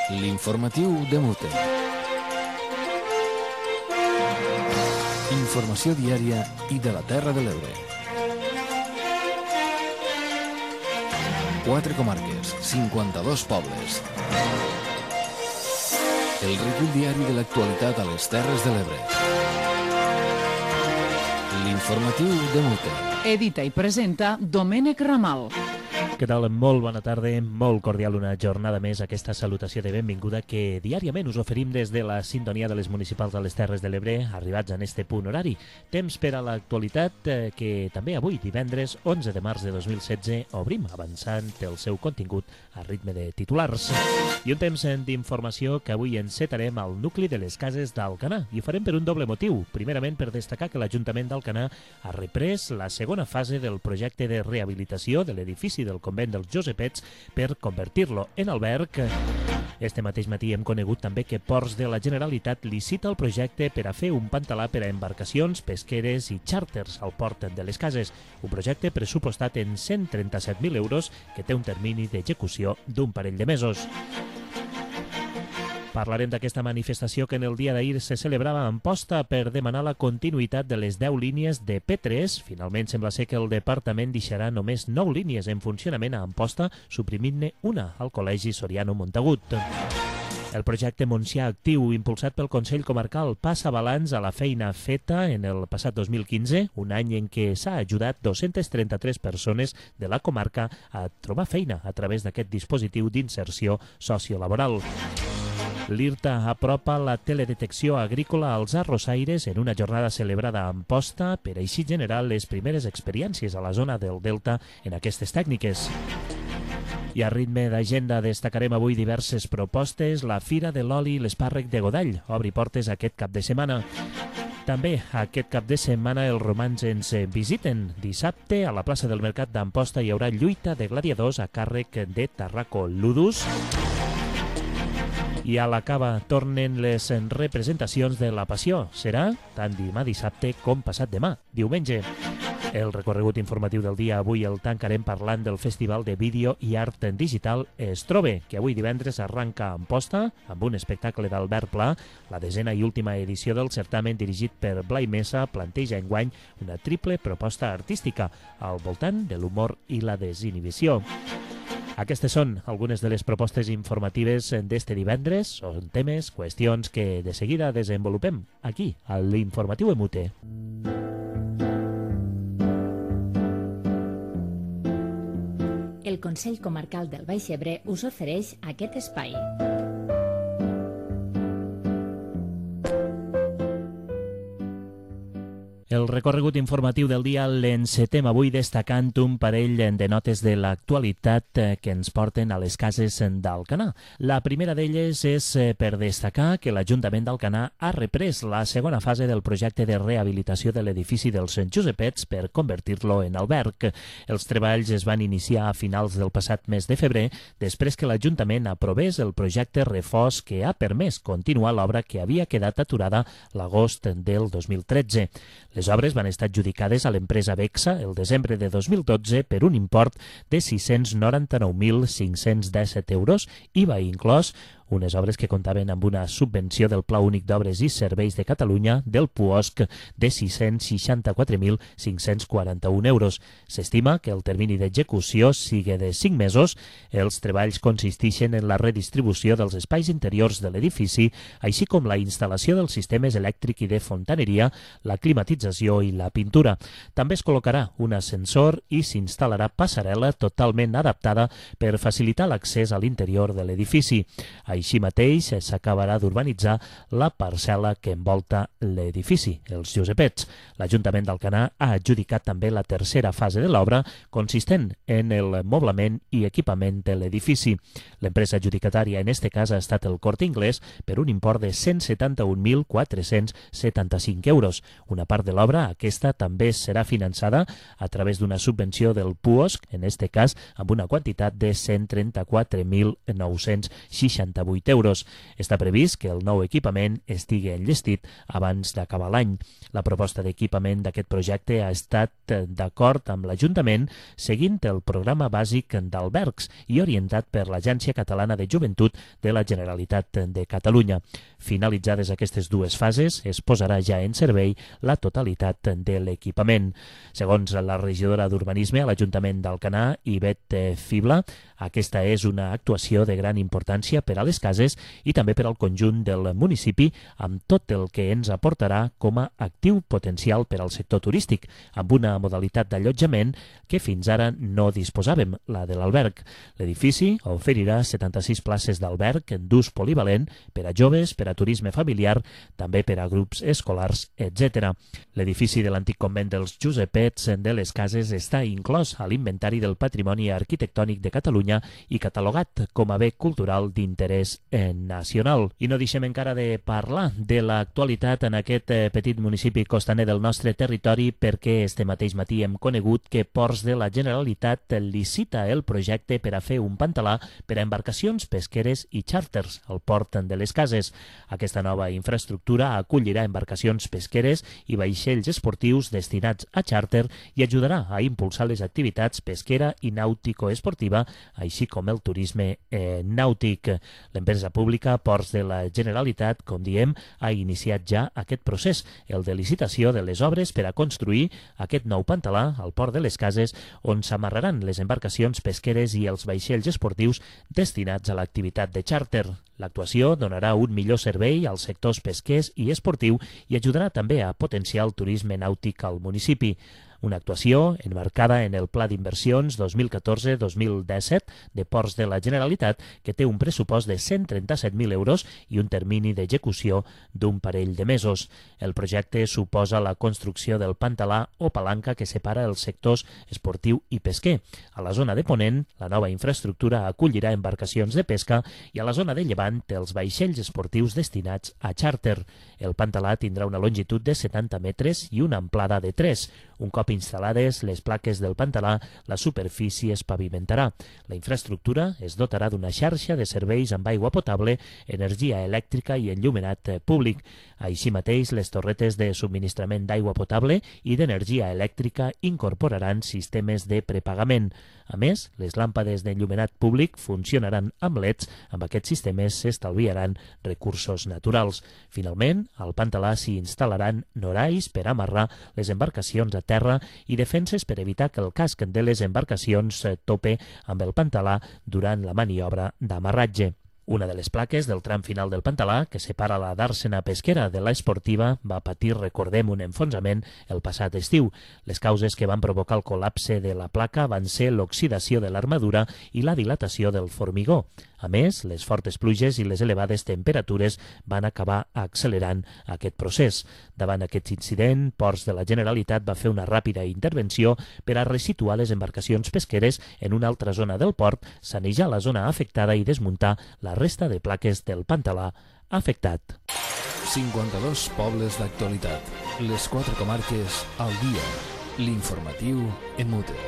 L'informatiu de Mute. Informació diària i de la Terra de l'Ebre. 4 comarques, 52 pobles. El recull diari de l'actualitat a les Terres de l'Ebre. L'informatiu de Mute. Edita i presenta Domènec Ramal. Què tal? Molt bona tarda, molt cordial una jornada més, aquesta salutació de benvinguda que diàriament us oferim des de la sintonia de les municipals de les Terres de l'Ebre, arribats en este punt horari. Temps per a l'actualitat que també avui, divendres 11 de març de 2016, obrim avançant el seu contingut a ritme de titulars. I un temps d'informació que avui encetarem al nucli de les cases d'Alcanar i ho farem per un doble motiu. Primerament per destacar que l'Ajuntament d'Alcanar ha reprès la segona fase del projecte de rehabilitació de l'edifici del convent dels Josepets per convertir-lo en alberg. Este mateix matí hem conegut també que Ports de la Generalitat licita el projecte per a fer un pantalà per a embarcacions, pesqueres i xàrters al port de les cases. Un projecte pressupostat en 137.000 euros que té un termini d'execució d'un parell de mesos. Parlarem d'aquesta manifestació que en el dia d'ahir se celebrava a Amposta per demanar la continuïtat de les 10 línies de P3. Finalment sembla ser que el departament deixarà només 9 línies en funcionament a Amposta, suprimint-ne una al Col·legi Soriano Montagut. El projecte Montsià Actiu, impulsat pel Consell Comarcal, passa balanç a la feina feta en el passat 2015, un any en què s'ha ajudat 233 persones de la comarca a trobar feina a través d'aquest dispositiu d'inserció sociolaboral. L'IRTA apropa la teledetecció agrícola als arrossaires en una jornada celebrada a Amposta per així generar les primeres experiències a la zona del Delta en aquestes tècniques. I a ritme d'agenda destacarem avui diverses propostes. La Fira de l'Oli i l'Espàrrec de Godall obri portes aquest cap de setmana. També aquest cap de setmana els romans ens visiten. Dissabte a la plaça del Mercat d'Amposta hi haurà lluita de gladiadors a càrrec de Tarraco Ludus. I a la Cava tornen les representacions de la Passió. Serà tant demà dissabte com passat demà, diumenge. El recorregut informatiu del dia avui el tancarem parlant del Festival de Vídeo i Art Digital Estrobe, que avui divendres arranca a Amposta amb un espectacle d'Albert Pla. La 10ª i última edició del certamen dirigit per Blai Mesa planteja enguany una triple proposta artística al voltant de l'humor i la desinhibició. Aquestes són algunes de les propostes informatives d'este divendres. Són temes, qüestions que de seguida desenvolupem aquí, a l'Informatiu Emute. El Consell Comarcal del Baix Ebre us ofereix aquest espai. El recorregut informatiu del dia l'encetem avui destacant un parell de notes de l'actualitat que ens porten a les cases d'Alcanar. La primera d'elles és per destacar que l'Ajuntament d'Alcanar ha reprès la segona fase del projecte de rehabilitació de l'edifici dels Josepets per convertir-lo en alberg. Els treballs es van iniciar a finals del passat mes de febrer, després que l'Ajuntament aprovés el projecte refós que ha permès continuar l'obra que havia quedat aturada l'agost del 2013. Les obres van estar adjudicades a l'empresa Bexa el desembre de 2012 per un import de 699.517 euros, IVA inclòs, unes obres que comptaven amb una subvenció del Pla Únic d'Obres i Serveis de Catalunya del PUOSC de 664.541 euros. S'estima que el termini d'execució sigui de 5 mesos. Els treballs consisteixen en la redistribució dels espais interiors de l'edifici, així com la instal·lació dels sistemes elèctric i de fontaneria, la climatització i la pintura. També es col·locarà un ascensor i s'instal·larà passarel·la totalment adaptada per facilitar l'accés a l'interior de l'edifici. Així mateix s'acabarà d'urbanitzar la parcel·la que envolta l'edifici, els Josepets. L'Ajuntament d'Alcanar ha adjudicat també la tercera fase de l'obra, consistent en el moblament i equipament de l'edifici. L'empresa adjudicatària en este cas ha estat el Corte Inglés per un import de 171.475 euros. Una part de l'obra, aquesta, també serà finançada a través d'una subvenció del PUOSC, en este cas amb una quantitat de 134.968 8 euros. Està previst que el nou equipament estigui enllestit abans d'acabar l'any. La proposta d'equipament d'aquest projecte ha estat d'acord amb l'Ajuntament seguint el programa bàsic d'albergs i orientat per l'Agència Catalana de Joventut de la Generalitat de Catalunya. Finalitzades aquestes dues fases, es posarà ja en servei la totalitat de l'equipament. Segons la regidora d'Urbanisme a l'Ajuntament d'Alcanar, Ivet Fibla, aquesta és una actuació de gran importància per a les cases i també per al conjunt del municipi, amb tot el que ens aportarà com a actiu potencial per al sector turístic, amb una modalitat d'allotjament que fins ara no disposàvem, la de l'alberg. L'edifici oferirà 76 places d'alberg d'ús polivalent per a joves, per a turisme familiar, també per a grups escolars, etc. L'edifici de l'antic convent dels Josepets de les Cases està inclòs a l'Inventari del Patrimoni Arquitectònic de Catalunya i catalogat com a bé cultural d'interès nacional. I no deixem encara de parlar de l'actualitat en aquest petit municipi costaner del nostre territori, perquè este mateix matí hem conegut que Ports de la Generalitat licita el projecte per a fer un pantalà per a embarcacions pesqueres i xàrters al port de les Cases. Aquesta nova infraestructura acollirà embarcacions pesqueres i vaixells esportius destinats a xàrter i ajudarà a impulsar les activitats pesquera i nàutico-esportiva, així com el turisme nàutic. L'empresa pública Ports de la Generalitat, com diem, ha iniciat ja aquest procés, el de licitació de les obres per a construir aquest nou pantalà al port de les Cases, on s'amarraran les embarcacions pesqueres i els vaixells esportius destinats a l'activitat de xàrter. L'actuació donarà un millor servei als sectors pesquers i esportiu i ajudarà també a potenciar el turisme nàutic al municipi. Una actuació enmarcada en el Pla d'Inversions 2014-2017 de Ports de la Generalitat, que té un pressupost de 137.000 euros i un termini d'execució d'un parell de mesos. El projecte suposa la construcció del pantalà o palanca que separa els sectors esportiu i pesquer. A la zona de Ponent, la nova infraestructura acollirà embarcacions de pesca i a la zona de Llevant els vaixells esportius destinats a xàrter. El pantalà tindrà una longitud de 70 metres i una amplada de 3. Un cop instal·lades les plaques del pantalà, la superfície es pavimentarà. La infraestructura es dotarà d'una xarxa de serveis amb aigua potable, energia elèctrica i enllumenat públic. Així mateix, les torretes de subministrament d'aigua potable i d'energia elèctrica incorporaran sistemes de prepagament. A més, les làmpades d'enllumenat públic funcionaran amb LEDs. Amb aquests sistemes s'estalviaran recursos naturals. Finalment, al pantalà s'hi instal·laran norais per amarrar les embarcacions a terra i defenses per evitar que el casc de les embarcacions tope amb el pantalà durant la maniobra d'amarratge. Una de les plaques del tram final del pantalà, que separa la dàrsena pesquera de la esportiva, va patir, recordem, un enfonsament el passat estiu. Les causes que van provocar el col·lapse de la placa van ser l'oxidació de l'armadura i la dilatació del formigó. A més, les fortes pluges i les elevades temperatures van acabar accelerant aquest procés. Davant aquest incident, Ports de la Generalitat va fer una ràpida intervenció per a resituar les embarcacions pesqueres en una altra zona del port, sanejar la zona afectada i desmuntar la resta de plaques del pantalà afectat. 52 pobles d'actualitat. Les 4 comarques al dia. L'informatiu en Mute.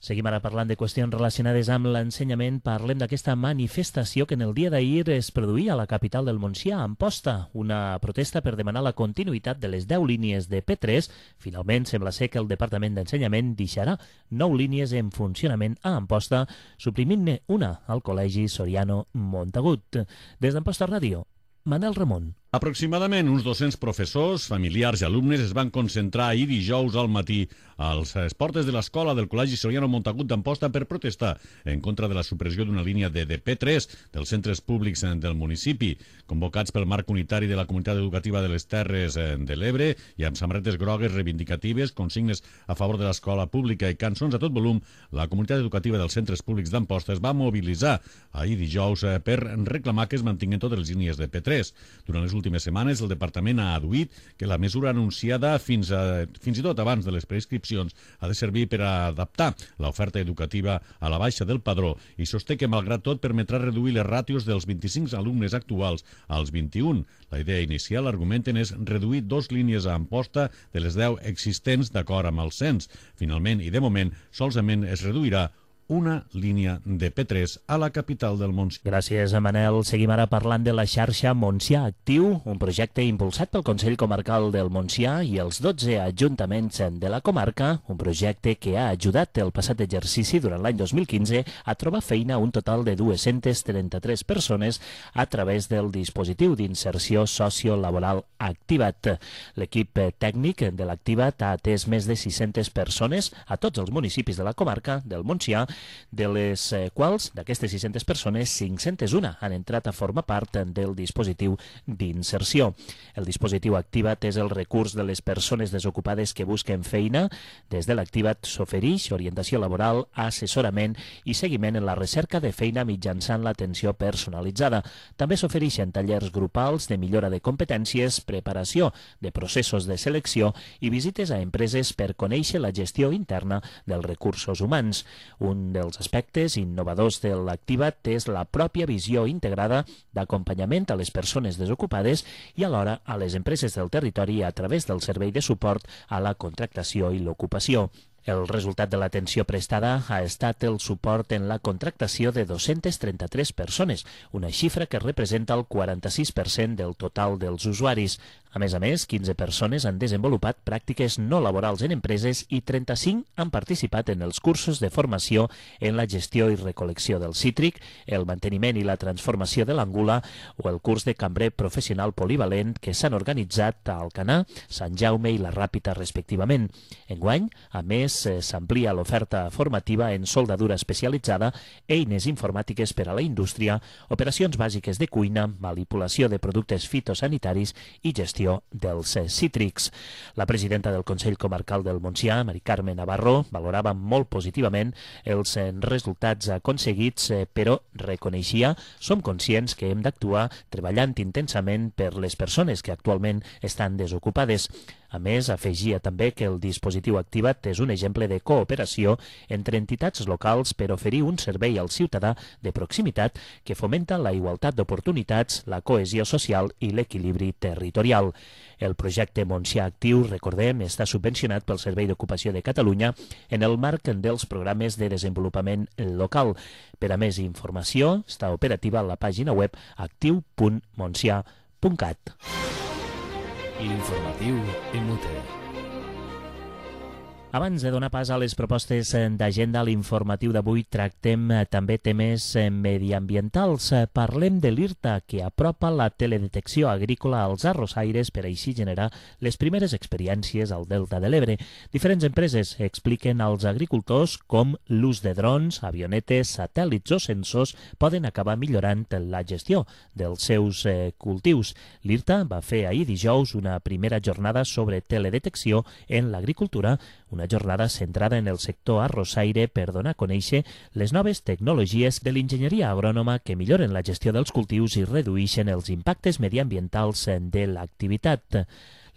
Seguim ara parlant de qüestions relacionades amb l'ensenyament. Parlem d'aquesta manifestació que en el dia d'ahir es produïa a la capital del Montsià, a Amposta, una protesta per demanar la continuïtat de les 10 línies de P3. Finalment, sembla ser que el Departament d'Ensenyament deixarà 9 línies en funcionament a Amposta, suprimint-ne una al Col·legi Soriano Montagut. Des d'Amposta Ràdio, Manel Ramon. Aproximadament uns 200 professors, familiars i alumnes es van concentrar ahir dijous al matí a les portes de l'escola del Col·legi Soriano Montagut d'Amposta per protestar en contra de la supressió d'una línia de P3 dels centres públics del municipi. Convocats pel marc unitari de la Comunitat Educativa de les Terres de l'Ebre i amb samarretes grogues reivindicatives, consignes a favor de l'escola pública i cançons a tot volum, la Comunitat Educativa dels Centres Públics d'Amposta es va mobilitzar ahir dijous per reclamar que es mantinguin totes les línies de P3. Durant les últimes setmanes, el Departament ha adduït que la mesura anunciada fins i tot abans de les prescripcions ha de servir per a adaptar l'oferta educativa a la baixa del padró i sosté que, malgrat tot, permetrà reduir les ràtios dels 25 alumnes actuals als 21. La idea inicial, argumenten, és reduir 2 línies a Amposta de les 10 existents d'acord amb el cens. Finalment, i de moment, solament es reduirà una línia de P3 a la capital del Montsià. Gràcies, Manel. Seguim ara parlant de la xarxa Montsià Actiu, un projecte impulsat pel Consell Comarcal del Montsià i els 12 ajuntaments de la comarca, un projecte que ha ajudat el passat exercici durant l'any 2015 a trobar feina a un total de 233 persones a través del dispositiu d'inserció sociolaboral Activat. L'equip tècnic de l'Activat ha atès més de 600 persones a tots els municipis de la comarca del Montsià, de les quals, d'aquestes 600 persones, 501 han entrat a formar part del dispositiu d'inserció. El dispositiu Activat és el recurs de les persones desocupades que busquen feina. Des de l'Activat s'ofereix orientació laboral, assessorament i seguiment en la recerca de feina mitjançant l'atenció personalitzada. També s'ofereixen tallers grupals de millora de competències, preparació de processos de selecció i visites a empreses per conèixer la gestió interna dels recursos humans. Un dels aspectes innovadors de l'Activat és la pròpia visió integrada d'acompanyament a les persones desocupades i alhora a les empreses del territori a través del servei de suport a la contractació i l'ocupació. El resultat de l'atenció prestada ha estat el suport en la contractació de 233 persones, una xifra que representa el 46% del total dels usuaris. A més, 15 persones han desenvolupat pràctiques no laborals en empreses i 35 han participat en els cursos de formació en la gestió i recol·lecció del cítric, el manteniment i la transformació de l'angula o el curs de cambrer professional polivalent que s'han organitzat a Alcanar, Sant Jaume i la Ràpita, respectivament. Enguany, a més, s'amplia l'oferta formativa en soldadura especialitzada, eines informàtiques per a la indústria, operacions bàsiques de cuina, manipulació de productes fitosanitaris i gestió dels cítrics. La presidenta del Consell Comarcal del Montsià, Mari Carme Navarro, valorava molt positivament els resultats aconseguits, però reconeixia: som conscients que hem d'actuar treballant intensament per les persones que actualment estan desocupades. A més, afegia també que el dispositiu Activat és un exemple de cooperació entre entitats locals per oferir un servei al ciutadà de proximitat que fomenta la igualtat d'oportunitats, la cohesió social i l'equilibri territorial. El projecte Montsià Actiu, recordem, està subvencionat pel Servei d'Ocupació de Catalunya en el marc dels programes de desenvolupament local. Per a més informació, està operativa a la pàgina web actiu.montsià.cat. L'informatiu Emute. Abans de donar pas a les propostes d'agenda, a l'informatiu d'avui tractem també temes mediambientals. Parlem de l'IRTA, que apropa la teledetecció agrícola als arrossaires per així generar les primeres experiències al Delta de l'Ebre. Diferents empreses expliquen als agricultors com l'ús de drons, avionetes, satèl·lits o sensors poden acabar millorant la gestió dels seus cultius. L'IRTA va fer ahir dijous una primera jornada sobre teledetecció en l'agricultura, una jornada centrada en el sector arrossaire per donar a conèixer les noves tecnologies de l'enginyeria agrònoma que milloren la gestió dels cultius i redueixen els impactes mediambientals de l'activitat.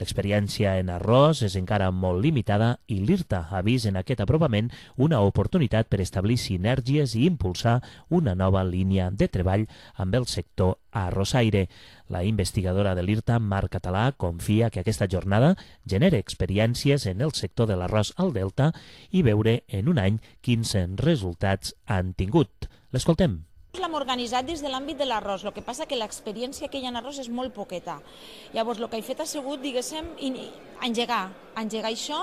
L'experiència en arròs és encara molt limitada i l'IRTA ha vist en aquest aprovament una oportunitat per establir sinergies i impulsar una nova línia de treball amb el sector arrossaire. La investigadora de l'IRTA, Mar Català, confia que aquesta jornada genera experiències en el sector de l'arròs al Delta i veure en un any quins resultats han tingut. L'escoltem. L'hem organitzat des de l'àmbit de l'arròs, el que passa que l'experiència que hi ha en arròs és molt poqueta. Llavors, el que he fet ha sigut, diguéssim, engegar això.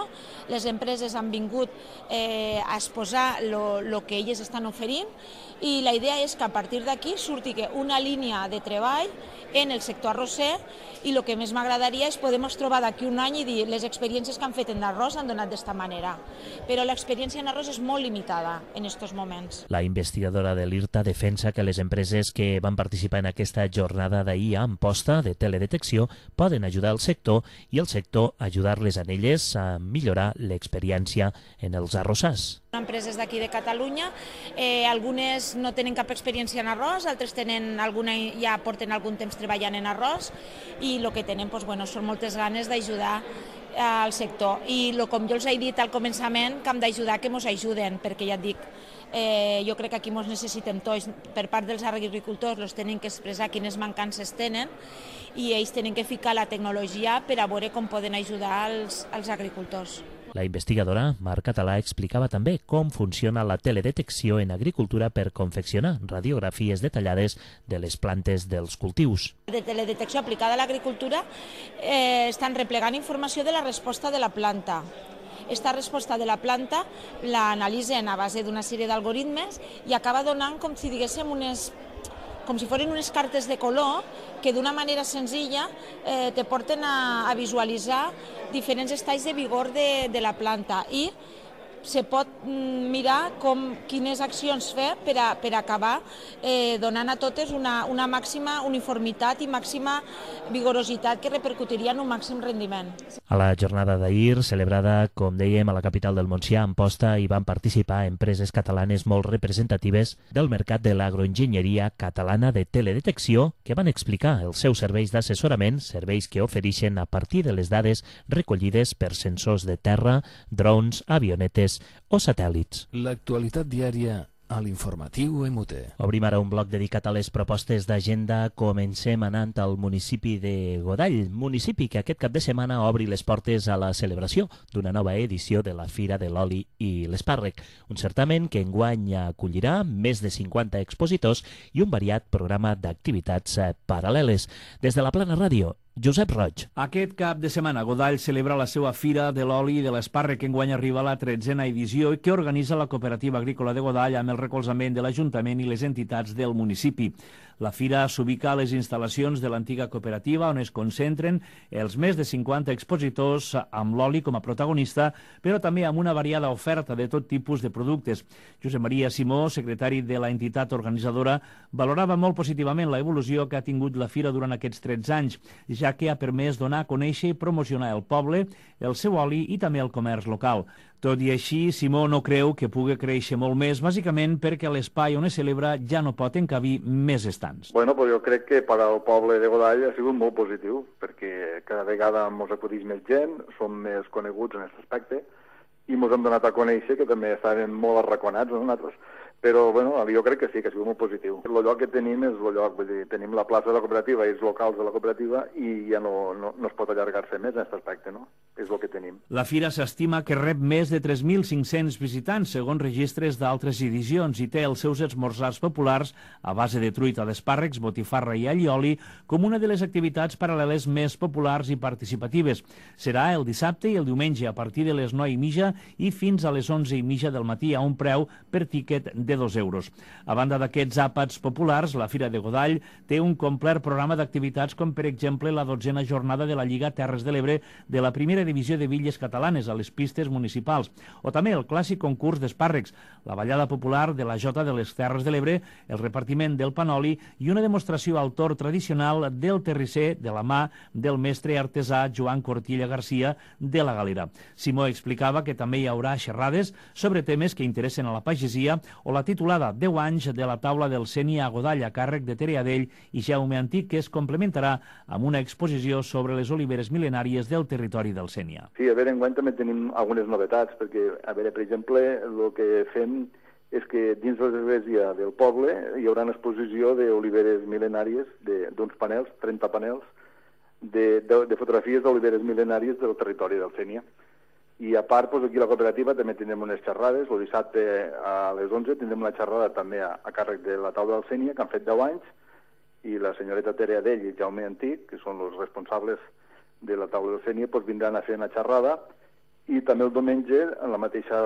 Les empreses han vingut a exposar el que elles estan oferint i la idea és que a partir d'aquí surti una línia de treball en el sector arrosser i el que més m'agradaria és poder trobar d'aquí un any i dir les experiències que han fet en arròs han donat d'esta manera. Però l'experiència en arròs és molt limitada en aquests moments. La investigadora de l'IRTA defensa que les empreses que van participar en aquesta jornada d'ahir a Amposta de teledetecció poden ajudar el sector i el sector ajudar-les a elles a millorar l'experiència en els arrossars. Empreses d'aquí de Catalunya, algunes no tenen cap experiència en arròs, altres ja porten algun temps treballant en arròs i el que tenen són moltes ganes d'ajudar al sector. I com jo els he dit al començament, que hem d'ajudar que ens ajuden, perquè ja et dic, jo crec que aquí ens necessitem tots. Per part dels agricultors els tenen que expressar quines mancances tenen i ells tenen que ficar la tecnologia per a veure com poden ajudar els agricultors. La investigadora Mar Català explicava també com funciona la teledetecció en agricultura per confeccionar radiografies detallades de les plantes dels cultius. De teledetecció aplicada a l'agricultura estan replegant informació de la resposta de la planta. Esta resposta de la planta l'analitzen a base d'una sèrie d'algoritmes i acaba donant com si diguéssim com si foren unes cartes de color que d'una manera senzilla te porten a visualitzar diferents estats de vigor de la planta i se pot mirar quines accions fer per acabar donant a totes una màxima uniformitat i màxima vigorositat que repercutiria en un màxim rendiment. A la jornada d'ahir, celebrada, com dèiem, a la capital del Montsià, a Amposta, hi van participar empreses catalanes molt representatives del mercat de l'agroenginyeria catalana de teledetecció que van explicar els seus serveis d'assessorament, serveis que ofereixen a partir de les dades recollides per sensors de terra, drons, avionetes o satèl·lits. L'actualitat diària a l'informatiu MUT. Obrim ara un bloc dedicat a les propostes d'agenda. Comencem anant al municipi de Godall, municipi que aquest cap de setmana obri les portes a la celebració d'una nova edició de la Fira de l'Oli i l'Espàrrec, un certamen que enguany acollirà més de 50 expositors i un variat programa d'activitats paral·leles. Des de la Plana Ràdio, Josep Roig. Aquest cap de setmana Godall celebra la seva Fira de l'Oli i de l'Espàrrec, que enguany arriba a la 13a edició i que organitza la Cooperativa Agrícola de Godall amb el recolzament de l'Ajuntament i les entitats del municipi. La fira s'ubica a les instal·lacions de l'antiga cooperativa, on es concentren els més de 50 expositors amb l'oli com a protagonista, però també amb una variada oferta de tot tipus de productes. Josep Maria Simó, secretari de la entitat organitzadora, valorava molt positivament la evolució que ha tingut la fira durant aquests 13 anys, ja que ha permès donar a conèixer i promocionar el poble, el seu oli i també el comerç local. Tot i així, Simó no creu que pugui créixer molt més, bàsicament perquè l'espai on es celebra ja no pot encabir més estants. Bueno, pues jo crec que per al poble de Godall ha sigut molt positiu, perquè cada vegada ens acudeix més gent, som més coneguts en aquest aspecte, i ens hem donat a conèixer que també estaven molt arraconats nosaltres. Però bueno, jo crec que sí, que ha sigut molt positiu. El lloc que tenim és el lloc, vull dir, tenim la plaça de la cooperativa i els locals de la cooperativa i ja no es pot allargar-se més en aquest aspecte, no? És el que tenim. La fira s'estima que rep més de 3.500 visitants, segons registres d'altres edicions, i té els seus esmorzars populars a base de truita d'espàrrecs, botifarra i allioli com una de les activitats paral·leles més populars i participatives. Serà el dissabte i el diumenge a partir de les 9:30 i fins a les 11:30 del matí a un preu per tíquet de 2 euros. A banda d'aquests àpats populars, la Fira de Godall té un complet programa d'activitats com, per exemple, la 12a jornada de la Lliga Terres de l'Ebre de la primera divisió de Villes Catalanes a les pistes municipals, o també el clàssic concurs d'espàrrecs, la ballada popular de la Jota de les Terres de l'Ebre, el repartiment del panoli i una demostració al tor tradicional del terrisser de la mà del mestre artesà Joan Cortilla Garcia de la Galera. Simó explicava que també hi haurà xerrades sobre temes que interessen a la pagesia o la titulada 10 anys de la taula del Sénia a Godall a càrrec de Tere Adell i Jaume Antic, que es complementarà amb una exposició sobre les oliveres mil·lenàries del territori del Sénia. Sí, a veure, enguany també tenim algunes novetats, perquè, a veure, per exemple, el que fem és que dins de l'església del poble hi haurà una exposició d'oliveres mil·lenàries, d'uns panels, 30 panels, de fotografies d'oliveres mil·lenàries del territori del Sénia. I a part, doncs, aquí a la cooperativa també tindrem unes xerrades. El dissabte a les 11 tindrem una xerrada també a càrrec de la taula del Sénia, que han fet 10 anys, i la senyoreta Tere Adell i Jaume Antic, que són els responsables de la taula del Sénia, doncs vindran a fer una xerrada. I també el diumenge, la mateixa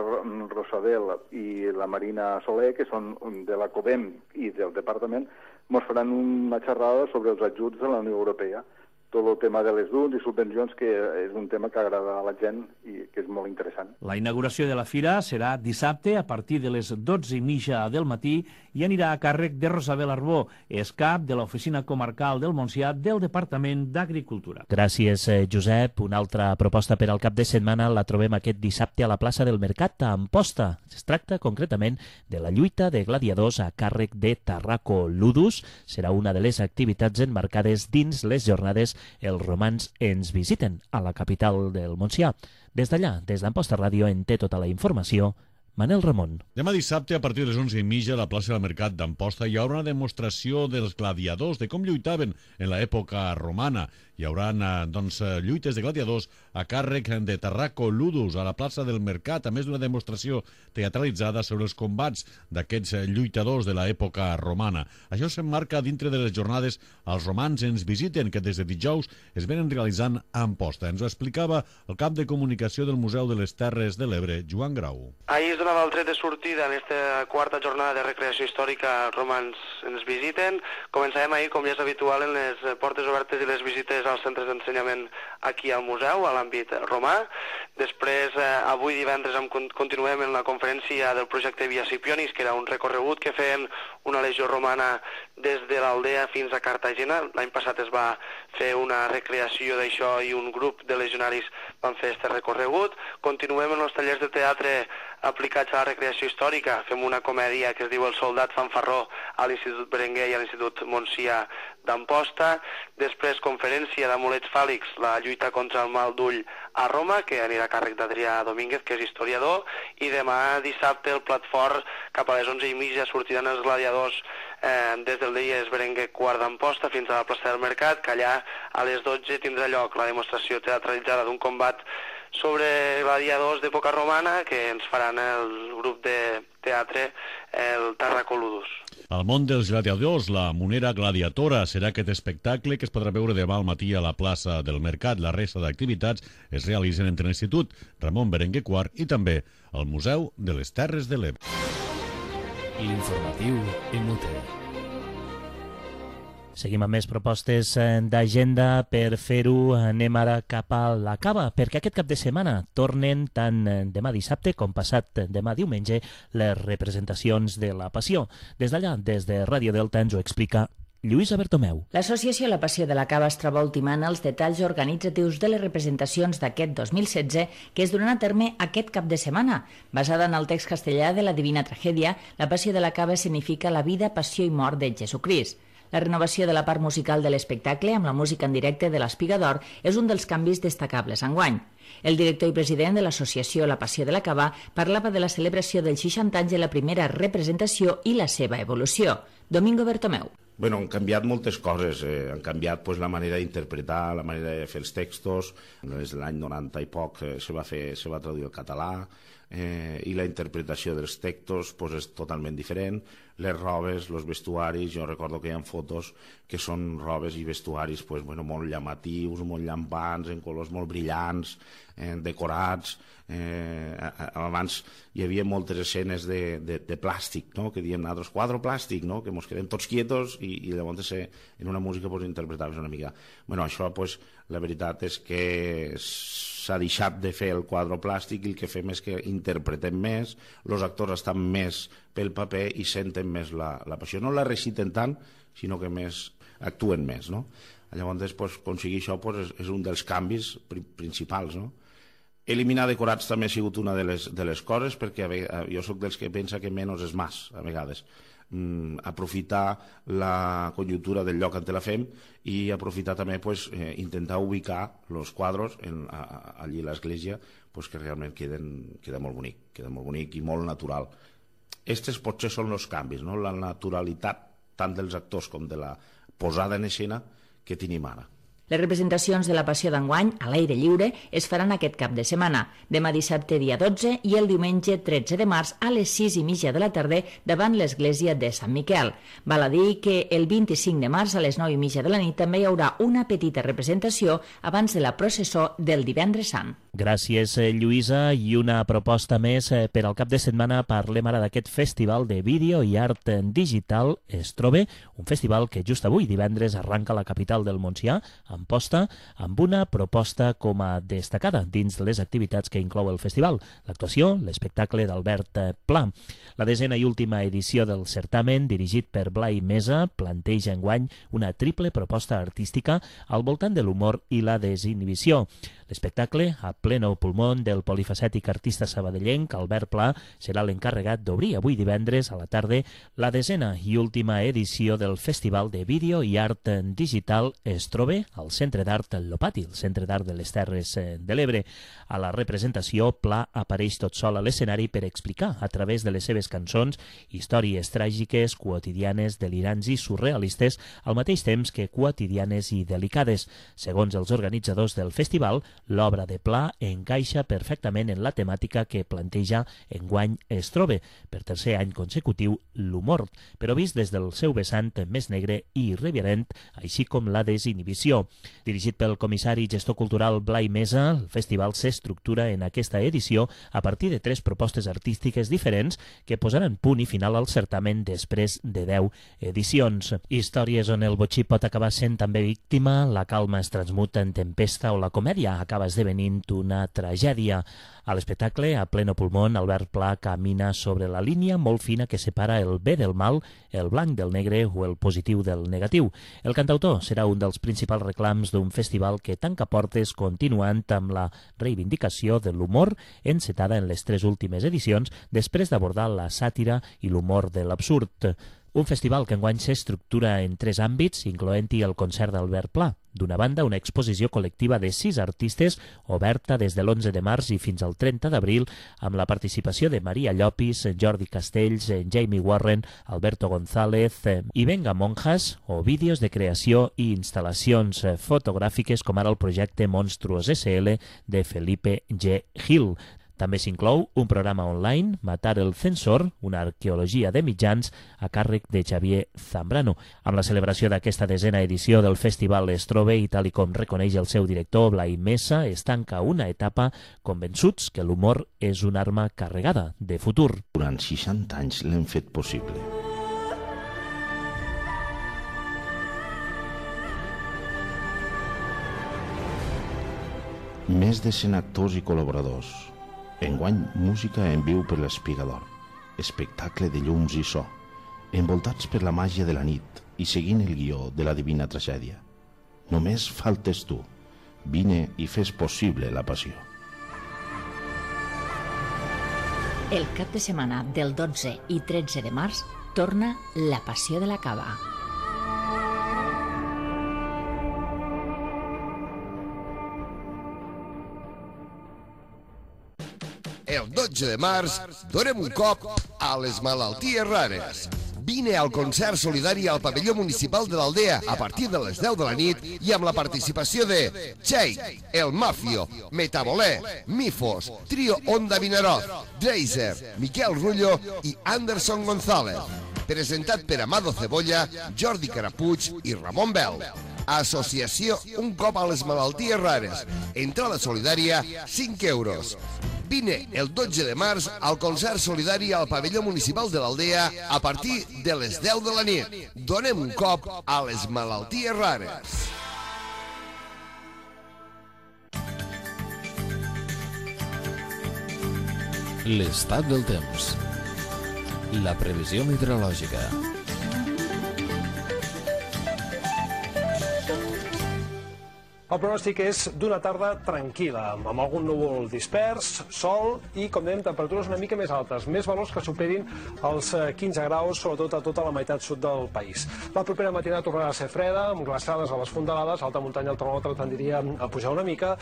Rosabel i la Marina Soler, que són de la COBEM i del departament, ens faran una xerrada sobre els ajuts de la Unió Europea. Tot el tema de les DUNs i subvencions, que és un tema que agrada a la gent i que és molt interessant. La inauguració de la fira serà dissabte a partir de les 12:30 del matí i anirà a càrrec de Rosabel Arbó, és cap de l'Oficina Comarcal del Montsià del Departament d'Agricultura. Gràcies, Josep. Una altra proposta per al cap de setmana la trobem aquest dissabte a la plaça del Mercat a Amposta. Es tracta concretament de la lluita de gladiadors a càrrec de Tarraco Ludus. Serà una de les activitats emmarcades dins les jornades Els romans ens visiten a la capital del Montsià. Des d'allà, des d'Amposta Ràdio, en té tota la informació Manel Ramon. Demà dissabte, a partir de les 11:30, a la plaça del Mercat d'Amposta hi haurà una demostració dels gladiadors, de com lluitaven en l'època romana. hi haurà lluites de gladiadors a càrrec de Tarraco Ludus a la plaça del Mercat, a més d'una demostració teatralitzada sobre els combats d'aquests lluitadors de l'època romana. Això s'emmarca dintre de les jornades Els romans ens visiten, que des de dijous es venen realitzant a Amposta. Ens ho explicava el cap de comunicació del Museu de les Terres de l'Ebre, Joan Grau. Ahir es donava el tret de sortida en aquesta quarta jornada de recreació històrica Romans ens visiten. Començàvem ahir, com ja és habitual, en les portes obertes i les visites als centres d'ensenyament aquí al museu, a l'àmbit romà. Després, avui divendres, continuem en la conferència del projecte Via Scipionis, que era un recorregut que feien una legió romana des de l'Aldea fins a Cartagena. L'any passat es va fer una recreació d'això i un grup de legionaris van fer aquest recorregut. Continuem en els tallers de teatre aplicats a la recreació històrica. Fem una comèdia que es diu El soldat fanfarró a l'Institut Berenguer i a l'Institut Montsià d'Amposta. Després, conferència d'amulets fàl·lics, la lluita contra el mal d'ull a Roma, que anirà a càrrec d'Adrià Domínguez, que és historiador, i demà dissabte el plat fort cap a les 11:30 sortiran els gladiadors des del Dies Berenguer quart d'Amposta fins a la plaça del Mercat, que allà a les 12 tindrà lloc la demostració teatralitzada d'un combat sobre gladiadors d'època romana que ens faran el grup de teatre, el Tarraco Ludus. Al món dels gladiadors, la Monera Gladiatora serà aquest espectacle que es podrà veure demà al matí a la plaça del Mercat. La resta d'activitats es realitzen entre l'Institut Ramon Berenguer IV i també al Museu de les Terres de l'Ebre. L'informatiu Emute. Seguim amb més propostes d'agenda. Per fer-ho anem ara cap a la Cava, perquè aquest cap de setmana tornen tant demà dissabte com passat demà diumenge les representacions de la Passió. Des d'allà, des de Ràdio Delta, ens ho explica Lluïsa Bertomeu. L'associació La Passió de la Cava es troba ultimant els detalls organitzatius de les representacions d'aquest 2016 que es duran a terme aquest cap de setmana. Basada en el text castellà de la Divina Tragèdia, la Passió de la Cava significa la vida, passió i mort de Jesucrist. La renovació de la part musical de l'espectacle amb la música en directe de l'Espiga d'Or és un dels canvis destacables enguany. El director i president de l'associació La Passió de la Cava parlava de la celebració dels 60 anys de la primera representació i la seva evolució. Domingo Bertomeu. Bueno, han canviat moltes coses, han canviat la manera d'interpretar, la manera de fer els textos. Des de l'any 90 i poc se va traduir al català, i la interpretació dels textos és totalment diferent. Les robes, els vestuaris, jo recordo que hi ha fotos que són robes i vestuaris molt llamatius, molt llampants, en colors molt brillants, decorats. Abans hi havia moltes escenes de plàstic, no? Que diem nosaltres quadre plàstic, no? Que ens quedem tots quietos i llavors en una música interpretaves una mica. Això la veritat és que s'ha deixat de fer el quadre plàstic i el que fem és que interpretem més, els actors estan més pel paper i senten més la passió. No la reciten tant, sinó que més actuen més, no? Llavors, aconseguir això és un dels canvis principals, no? Eliminar decorats també ha sigut una de les coses, perquè jo sóc dels que pensa que menys és més, a vegades. Aprofitar la conjuntura del lloc on la fem i aprofitar també intentar ubicar els quadres allí a l'església que realment queda molt bonic i molt natural. Estos potser són els canvis, no? La naturalitat tant dels actors com de la posada en escena que tenim ara. Les representacions de la Passió d'enguany, a l'aire lliure, es faran aquest cap de setmana, demà dissabte dia 12 i el diumenge 13 de març a les 6:30 de la tarda davant l'església de Sant Miquel. Val a dir que el 25 de març a les 9:30 de la nit també hi haurà una petita representació abans de la processó del Divendres Sant. Gràcies, Lluïsa. I una proposta més per al cap de setmana. Parlem ara d'aquest festival de vídeo i art digital Estrobe, un festival que just avui, divendres, arranca a la capital del Montsià, Amposta, amb una proposta com a destacada dins de les activitats que inclou el festival. L'actuació, l'espectacle d'Albert Pla. La 10ª i última edició del certamen, dirigit per Blai Mesa, planteja enguany una triple proposta artística al voltant de l'humor i la desinhibició. L'espectacle, a pleno pulmón del polifacètic artista sabadellenc Albert Pla, serà l'encarregat d'obrir avui divendres a la tarda la 10ª i última edició del Festival de Vídeo i Art Digital es troba al Centre d'Art Lopati, el Centre d'Art de les Terres de l'Ebre. A la representació, Pla apareix tot sol a l'escenari per explicar, a través de les seves cançons, històries tràgiques, quotidianes, delirants i surrealistes, al mateix temps que quotidianes i delicades. Segons els organitzadors del festival, l'obra de Pla encaixa perfectament en la temàtica que planteja enguany es troba, per tercer any consecutiu, l'humor, però vist des del seu vessant més negre i irreverent, així com la desinhibició. Dirigit pel comissari i gestor cultural Blai Mesa, el festival s'estructura en aquesta edició a partir de 3 propostes artístiques diferents que posaran punt i final al certamen després de 10 edicions. Històries on el botxí pot acabar sent també víctima, la calma es transmuta en tempesta o la comèdia acaba esdevenint una tragèdia. A l'espectacle, a pleno pulmón, Albert Pla camina sobre la línia molt fina que separa el bé del mal, el blanc del negre o el positiu del negatiu. El cantautor serà un dels principals reclams d'un festival que tanca portes continuant amb la reivindicació de l'humor encetada en les 3 últimes edicions després d'abordar la sàtira i l'humor de l'absurd. Un festival que enguany s'estructura en 3 àmbits, incloent-hi el concert d'Albert Pla. D'una banda, una exposició col·lectiva de 6 artistes, oberta des de l'11 de març i fins al 30 d'abril, amb la participació de Maria Llopis, Jordi Castells, Jamie Warren, Alberto González i Venga Monjas, o vídeos de creació i instal·lacions fotogràfiques com ara el projecte Monstruos SL de Felipe G. Gil. També s'inclou un programa online, Matar el Censor, una arqueologia de mitjans, a càrrec de Xavier Zambrano. Amb la celebració d'aquesta 10ª edició del Festival es troba, i tal i com reconeix el seu director, Blai Mesa, es tanca una etapa convençuts que l'humor és una arma carregada de futur. Durant 60 anys l'hem fet possible. Més de 100 actors i col·laboradors. Enguany, música en viu per l'Espigador, espectacle de llums i so, envoltats per la màgia de la nit i seguint el guió de la Divina Tragèdia. Només faltes tu. Vine i fes possible la passió. El cap de setmana del 12 i 13 de març torna La Passió de la Cava. El 12 de març donem un cop a les malalties rares. Vine al concert solidari al pavelló municipal de l'Aldea a partir de les 10 de la nit i amb la participació de Txell, El Mafio, Metabolé, Mifos, Trio Onda Vinaroz, Dreiser, Miquel Rullo i Anderson González. Presentat per Amado Cebolla, Jordi Carapuig i Ramon Bel. Associació Un cop a les malalties rares. Entrada solidària, 5 euros. Vine el 12 de març al concert solidari al pavelló municipal de l'Aldea a partir de les 10 de la nit. Donem un cop a les malalties rares. L'estat del temps. La previsió meteorològica. El pronòstic és d'una tarda tranquil·la, amb algun núvol dispers, sol i, com dèiem, temperatures una mica més altes, més valors que superin els 15 graus, sobretot a tota la meitat sud del país. La propera matinada tornarà a ser freda, amb glaçades a les fondalades, alta muntanya el termòmetre tendiria a pujar una mica,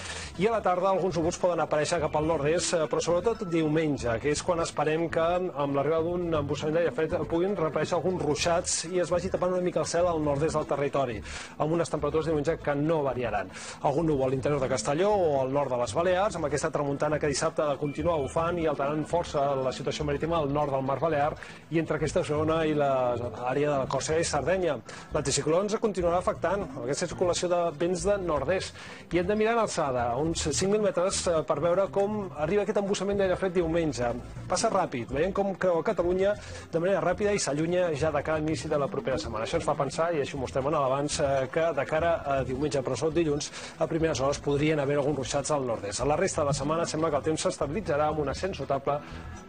i a la tarda alguns núvols poden aparèixer cap al nord-est, però sobretot diumenge, que és quan esperem que, amb l'arribada d'un embussament d'aire fred, puguin reaparèixer alguns ruixats i es vagi tapant una mica el cel al nord-est del territori, amb unes temperatures diumenge que no variaran. Algun núvol a l'interior de Castelló o al nord de les Balears, amb aquesta tramuntana que dissabte ha de continuar bufant i alterant força la situació marítima al nord del Mar Balear i entre aquesta zona i l'àrea de la Còrsega i Sardenya. L'anticicló ens continuarà afectant aquesta circulació de vents de nord-est i hem de mirar en alçada, a uns 5.000 metres, per veure com arriba aquest embussament d'aire fred diumenge. Passa ràpid, veiem com creu a Catalunya de manera ràpida i s'allunya ja de cara a l'inici de la propera setmana. Això ens fa pensar, i així ho mostrem en l'abans, que de cara a diumenge, però sobretot dilluns, a primeres hores podrien haver alguns ruixats al nord-est. A la resta de la setmana sembla que el temps s'estabilitzarà amb un ascens notable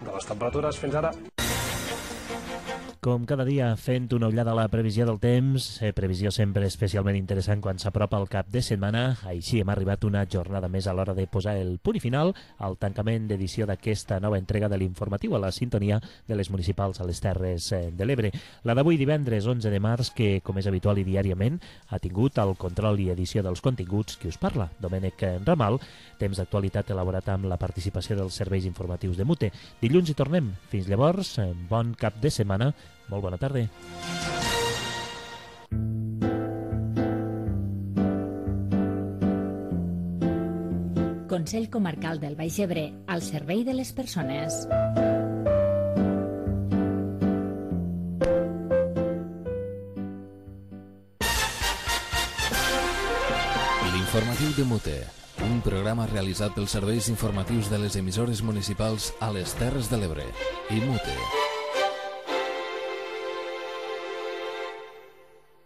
de les temperatures fins ara. Com cada dia, fent una ullada a la previsió del temps, previsió sempre especialment interessant quan s'apropa el cap de setmana. Així hem arribat una jornada més a l'hora de posar el punt i final al tancament d'edició d'aquesta nova entrega de l'informatiu a la sintonia de les municipals a les Terres de l'Ebre. La d'avui divendres 11 de març, que com és habitual i diàriament ha tingut el control i edició dels continguts qui us parla, Domènec Ramal, temps d'actualitat elaborat amb la participació dels serveis informatius de MUTE. Dilluns hi tornem. Fins llavors, bon cap de setmana. Molt bona tarda. Consell Comarcal del Baix Ebre, al servei de les persones. L'informatiu de MUTE, un programa realitzat pels serveis informatius de les emissores municipals a les Terres de l'Ebre i MUTE.